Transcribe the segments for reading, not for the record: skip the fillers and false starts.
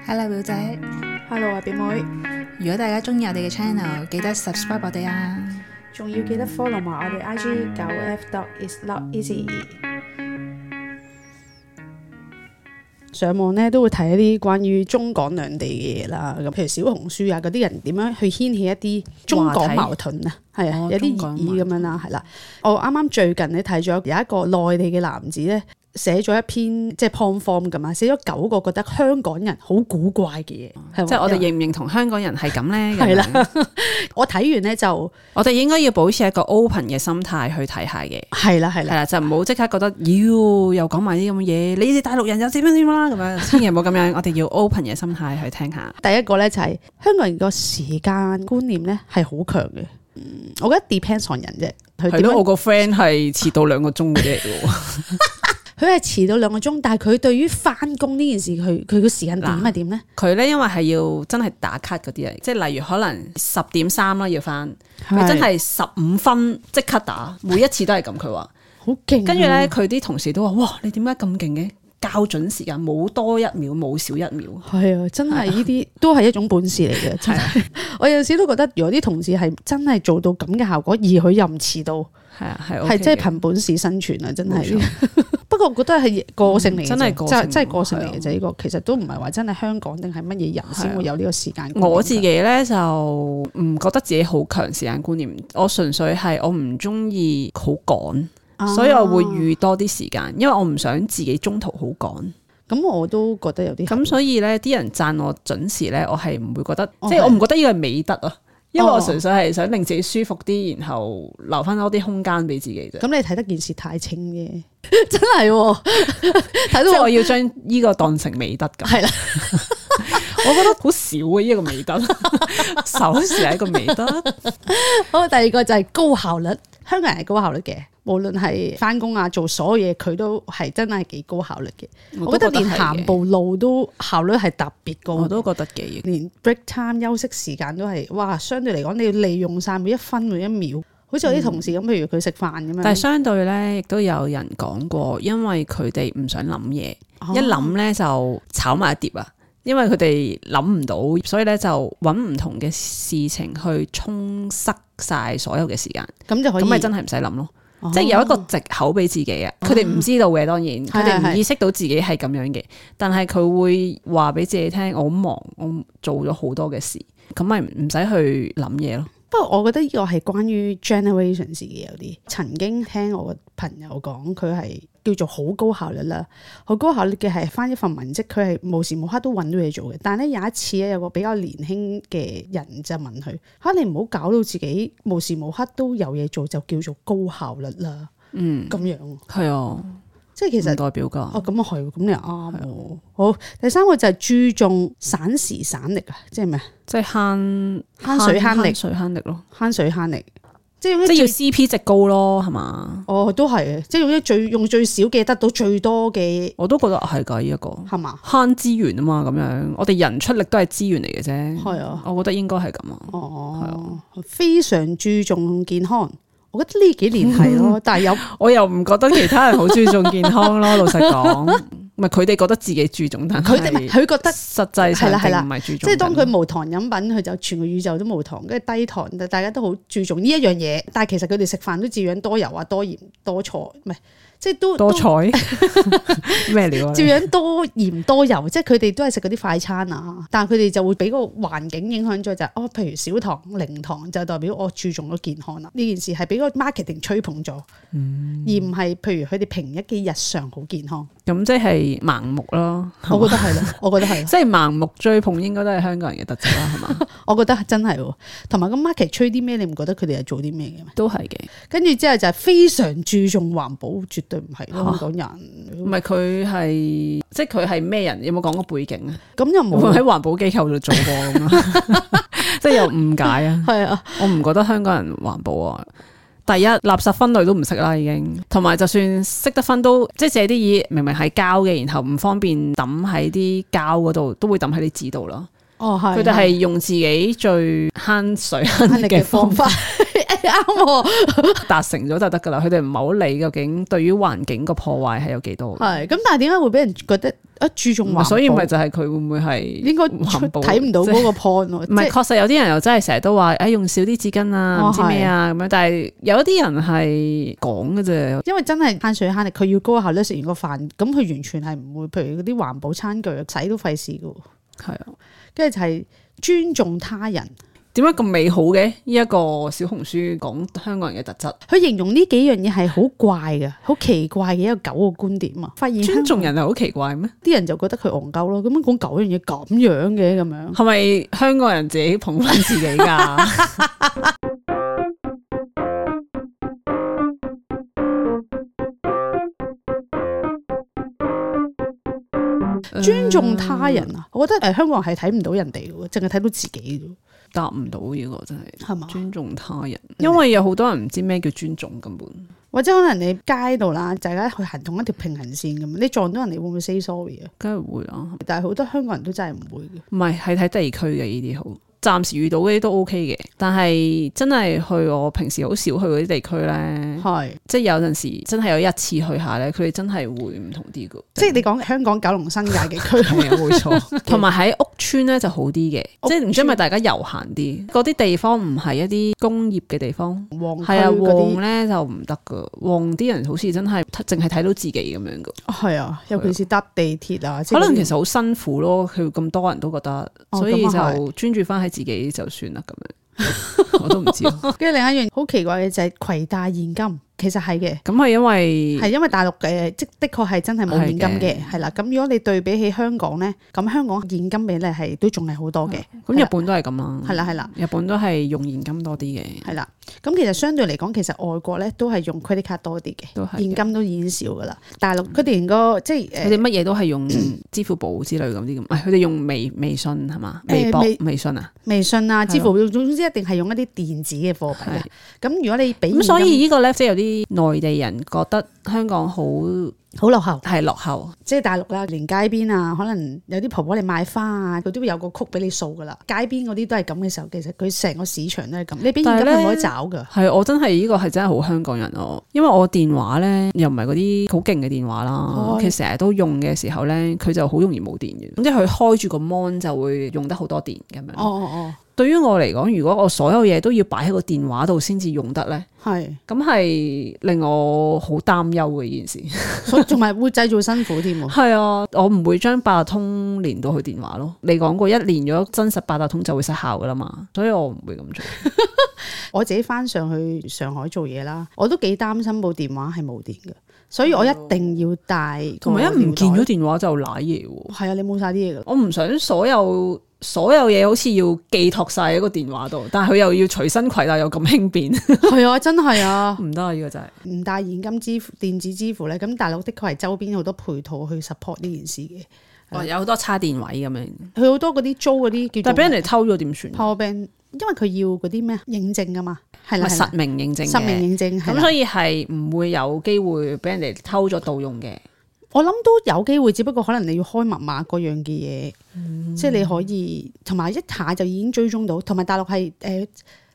Hello 表姐 Hello 啊，表妹，如果大家中意我哋嘅 channel，記得 subscribe 我哋啊。仲要記得 follow 埋我哋 IG 9F.is.not.easy。上網咧都會睇一啲關於中港兩地嘅嘢啦，咁譬如小紅書啊嗰啲人點樣去掀起一啲中港矛盾啊，係啊，有啲熱議咁樣啦，係啦。我啱啱最近咧睇咗有一個內地嘅男子咧，寫咗一篇即係 point form 咁啊，寫咗9個覺得香港人好古怪嘅嘢，即係我哋認唔認同香港人係咁咧？係啦，我睇完咧就我哋應該要保持一個 open 嘅心態去睇下嘅。係啦，就唔好即刻覺得又講埋啲咁嘅嘢，你哋大陸人又點樣點啦咁樣，千祈唔好咁樣。我哋要 open 嘅心態去聽下。第一個咧就係香港人個時間觀念咧係好強嘅，我覺得 depends on 人啫。係咯，我個 friend 係遲到2個鐘嘅啫喎。佢係遲到2個鐘，但係佢對於翻工呢件事，佢個時間點係點咧？佢咧因為係要真係打卡嗰啲嚟，即係例如可能10:3啦要翻，佢真係15分即刻打，每一次都係咁。佢話好勁，跟住咧佢啲同事都話：哇，你點解咁勁嘅？校準時間冇多1秒，冇少1秒。係啊，真係呢啲都係一種本事嚟嘅。真係，我有時都覺得，如果啲同事係真係做到咁嘅效果，而佢又唔遲到，係真係憑本事生存啊！真係。不過我覺得係個性嚟嘅，真係個性嚟嘅啫。呢個其實都唔係話真係香港定係乜嘢人先會有呢個時間觀念。我自己咧就唔覺得自己好強時間觀念，我純粹係我唔中意好趕。所以我會預多啲時間，因為我唔想自己中途好趕。咁我都覺得有啲咁，所以咧啲人讚我準時咧，我係唔會覺得，即係我唔覺得呢個係美德啊。因為我純粹係想令自己舒服啲，然後留翻多啲空間俾自己啫。咁你睇得件事太清嘅，真係睇到即係我要將呢個當成美德咁。係啦，我覺得好少啊！呢個美德，守時係一個美德。好，第二個就係高效率。香港人係高效率嘅，無論係翻工啊，做所有嘢，佢都係真係幾高效率嘅。我覺得連行步路都效率係特別高。我都覺得嘅，連 break time 休息時間都係，哇！相對嚟講，你要利用晒每一分每一秒。好似我啲同事咁，譬如佢食飯咁樣。但係相對咧，亦都有人講過，因為佢哋唔想諗嘢，一諗咧就炒埋一碟啊。因為佢哋諗唔到，所以咧就揾唔同嘅事情去充塞晒所有嘅時間，咁就可以，咁咪真係唔使諗咯。即係有一個藉口俾自己啊！佢哋唔知道嘅，當然佢哋唔意識到自己係咁樣嘅，但係佢會話俾自己聽：我好忙，我做咗好多嘅事，咁咪唔使去諗嘢咯。不過我覺得呢個係關於 generations 嘅，有啲曾經聽我個朋友講，佢係叫做好高效率啦，好高效率嘅係返一份文職，佢係無時無刻都揾到嘢做嘅。但係咧有一次咧，有個比較年輕嘅人就問佢：你唔好搞到自己無時無刻都有嘢做，就叫做高效率啦。咁樣係啊。即係其實代表㗎。咁啊係，咁你又啱喎。好，第三個就係注重省時省力啊，即係咩？即係慳水慳力，水慳力咯，慳水慳力，即係要 CP 值高咯，係嘛？都係嘅，即係用最少嘅得到最多嘅。我都覺得係㗎，呢一個係嘛？慳資源啊嘛，咁樣我哋人出力都係資源嚟嘅啫。係啊，我覺得應該係咁啊。係啊，非常注重健康。我覺得呢幾年係咯，但係我又唔覺得其他人好注重健康咯。老實講，唔係佢哋覺得自己注重，但係佢覺得實際上並唔係注重。即係當佢無糖飲品，佢就全個宇宙都無糖，跟住低糖，大家都好注重呢一樣嘢。但係其實佢哋食飯都照樣多油啊、多鹽、多菜，唔係即係都多菜咩料啊？照樣多鹽多油，即係佢哋都係食嗰啲快餐啊。但係佢哋就會俾個環境影響咗，就係譬如少糖、零糖，就代表我注重咗健康啦。呢件事係俾個 marketing 吹捧咗，而唔係譬如佢哋平日嘅日常好健康。咁即係盲目咯。我覺得係咯，我覺得係，即係盲目追捧應該都係香港人嘅特質啦，係嘛？我覺得真係，同埋個 market 吹啲咩，你唔覺得佢哋係做啲咩嘅咩？都係嘅。跟住之後就係非常注重環保，絕對唔係香港人。唔係佢係，即係佢係咩人？有冇講過背景啊？咁又冇喺環保機構度做過咁啊？即係有誤解啊？係啊，我唔覺得香港人環保啊。第一，垃圾分類都唔識啦，已經。同埋就算識得分都，即係借啲嘢明明係膠嘅，然後唔方便抌喺啲膠嗰度，都會抌喺啲紙度咯。佢哋係用自己最慳水慳力嘅方法。啱達成咗就得噶啦。佢哋唔係好理究竟對於環境個破壞係有幾多。係咁，但係點解會俾人覺得注重環保？所以咪就係佢會唔會係應該睇唔到嗰個 point 咯？唔係，確實有啲人又真係成日都話用少啲紙巾啊，唔知咩啊咁樣。但係有一啲人係講嘅啫，因為真係慳水慳力，佢要高效率食完個飯，咁佢完全係唔會，譬如嗰啲環保餐具洗都費事噶。係啊，跟住就係尊重他人。點解咁美好嘅？呢一個小紅書講香港人嘅特質，佢形容呢幾樣嘢係好怪嘅，好奇怪嘅一個9個觀點啊！發現尊重人係好奇怪咩？啲人就覺得佢戇鳩咯，咁樣講9樣嘢咁樣嘅咁樣，係咪香港人自己捧返自己㗎？尊重他人啊！我覺得香港人係睇唔到人哋嘅，淨係睇到自己啫。答唔到呢個真係，係嘛？尊重他人，因為有好多人唔知咩叫尊重根本，或者可能你街度啦，大家去行同一條平行線咁，你撞到人哋會唔會 say sorry 啊？梗係會啦，但係好多香港人都真係唔會嘅。唔係，係睇地區嘅呢啲好。暫時遇到嗰啲都 OK 嘅，但係真係去我平時好少去嗰啲地區咧，係即係有陣時真係有一次去下咧，佢哋真係會唔同啲嘅。即係你講香港九龍新界嘅區係啊，冇錯。同埋喺屋村咧就好啲嘅，即係唔知係咪大家悠閒啲，嗰啲地方唔係一啲工業嘅地方，係啊，旺咧就唔得噶，旺啲人好似真係淨係睇到自己咁樣噶。係啊，尤其是搭地鐵啊，可能其實好辛苦咯，佢咁多人都覺得，所以就專注翻喺自己就算啦咁樣，我都唔知。跟住另一樣好奇怪嘅就係攜帶現金。其實係嘅，咁係因為大陸嘅即的確係真係冇現金嘅，係啦。咁如果你對比起香港咧，咁香港現金比例係都仲係好多嘅。咁日本都係咁啦，係啦，日本都係用現金多啲嘅，係啦。咁其實相對嚟講，其實外國咧都係用 credit card 多啲嘅，現金都已經少噶啦。大陸佢哋連個即係佢哋乜嘢都係用支付寶之類咁啲咁，佢哋用微信係嘛？微博、微信啊，微信啊，支付寶總之一定係用一啲電子嘅貨幣。咁如果你俾咁，所以呢個咧即係有啲內地人覺得香港好落後，係落後，即係大陸啦，連街邊啊，可能有啲婆婆嚟買花啊，佢都會有個曲俾你掃噶啦。街邊嗰啲都係咁嘅時候，其實佢成個市場都係咁。你俾現金係冇得找噶。係我真係呢個係真係好香港人咯，因為我電話咧又唔係嗰啲好勁嘅電話啦，其實成日都用嘅時候咧，佢就好容易冇電嘅，咁即係佢開住個 mon 就會用得好多電咁樣。對於我嚟講，如果我所有嘢都要擺喺個電話度先至用得咧，咁係令我好擔憂嘅呢件事，所以仲係會製造辛苦添喎。係啊，我唔會將八達通連到去電話咯。你講過一連咗真實八達通就會失效噶啦嘛，所以我唔會咁做。我自己翻上去上海做嘢啦，我都幾擔心部電話係冇電嘅，所以我一定要帶。同埋一唔見咗電話就瀨嘢喎。係啊，你冇晒啲嘢噶。我唔想所有嘢好似要寄託晒喺個電話度，但係佢又要隨身攜帶又咁輕便。係啊，真係啊，唔得啊！呢個真係唔帶現金支付、電子支付咧，咁大陸的確係周邊好多配套去 support 呢件事嘅。有好多叉電位咁樣，佢好多嗰啲租嗰啲叫做，但係俾人哋偷咗點算 ？Power bank，因為佢要嗰啲咩認證噶嘛，係啦，實名認證，實名認證，咁所以係唔會有機會俾人哋偷咗盜用嘅。我諗都有機會，只不過可能你要開密碼嗰樣嘅嘢，即係你可以同埋一下就已經追蹤到。同埋大陸係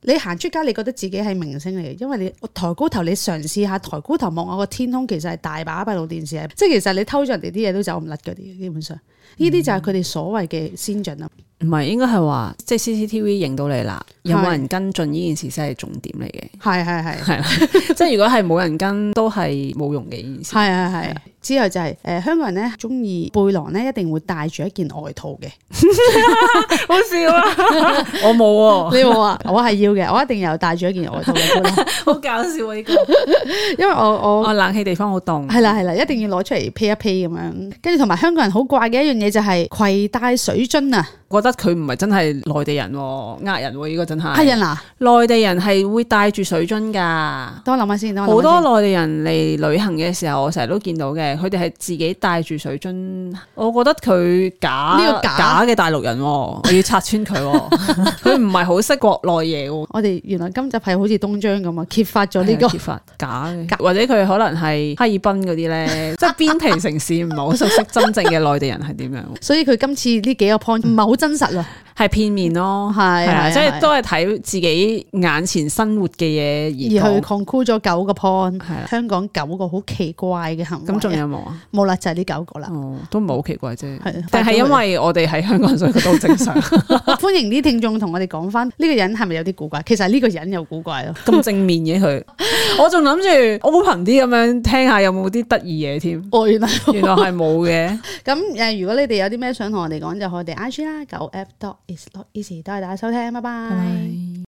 你行出街，你覺得自己係明星嚟嘅，因為你抬高頭，你嘗試下抬高頭望下個天空，其實係大把閉路電視，即係其實你偷咗人哋啲嘢都走唔甩嗰啲，基本上呢啲就係佢哋所謂嘅先進啦。唔係，應該係話即係 CCTV 影到你啦，有冇人跟進呢件事先係重點嚟嘅。係即係如果係冇人跟，都係冇用嘅件事。係。之後就係香港人咧中意背囊咧，一定會帶住一件外套嘅。好笑啊！我冇喎，你冇啊？我係要嘅，我一定有帶住一件外套嘅。好搞笑啊！呢個，因為我冷氣地方好凍。係啦，一定要攞出嚟披一披咁樣。跟住同埋香港人好怪嘅一樣嘢就係攜帶水樽啊！覺得佢唔係真係內地人，呃人喎，呢個真係。係人啊！內地人係會帶住水樽㗎。等我諗下先，好多內地人嚟旅行嘅時候，我成日都見到嘅。佢哋係自己帶住水樽，我覺得佢假嘅大陸人，我要拆穿佢，佢唔係好識國內嘢。我哋原來今集係好似東張咁啊，揭發咗呢個揭發假嘅，或者佢可能係哈爾濱嗰啲咧，即係邊皮城市唔係好熟悉真正嘅內地人係點樣。所以佢今次呢幾個 point 唔係好真實啊。係片面咯，係即係都係睇自己眼前生活嘅嘢而去 conclude 咗9個 point， 係啦，香港9個好奇怪嘅行為。咁仲有冇啊？冇啦，就係呢9個啦。哦，都唔係好奇怪啫，係，但係因為我哋喺香港，所以覺得好正常。歡迎啲聽眾同我哋講翻呢個人係咪有啲古怪？其實呢個人有古怪咯，咁正面嘅佢，我仲諗住 open 啲咁樣聽下有冇啲得意嘢添。哦，原來係冇嘅。咁如果你哋有啲咩想同我哋講，就去我哋 IG 啦，9f.is not easy，多謝大家收聽，拜拜。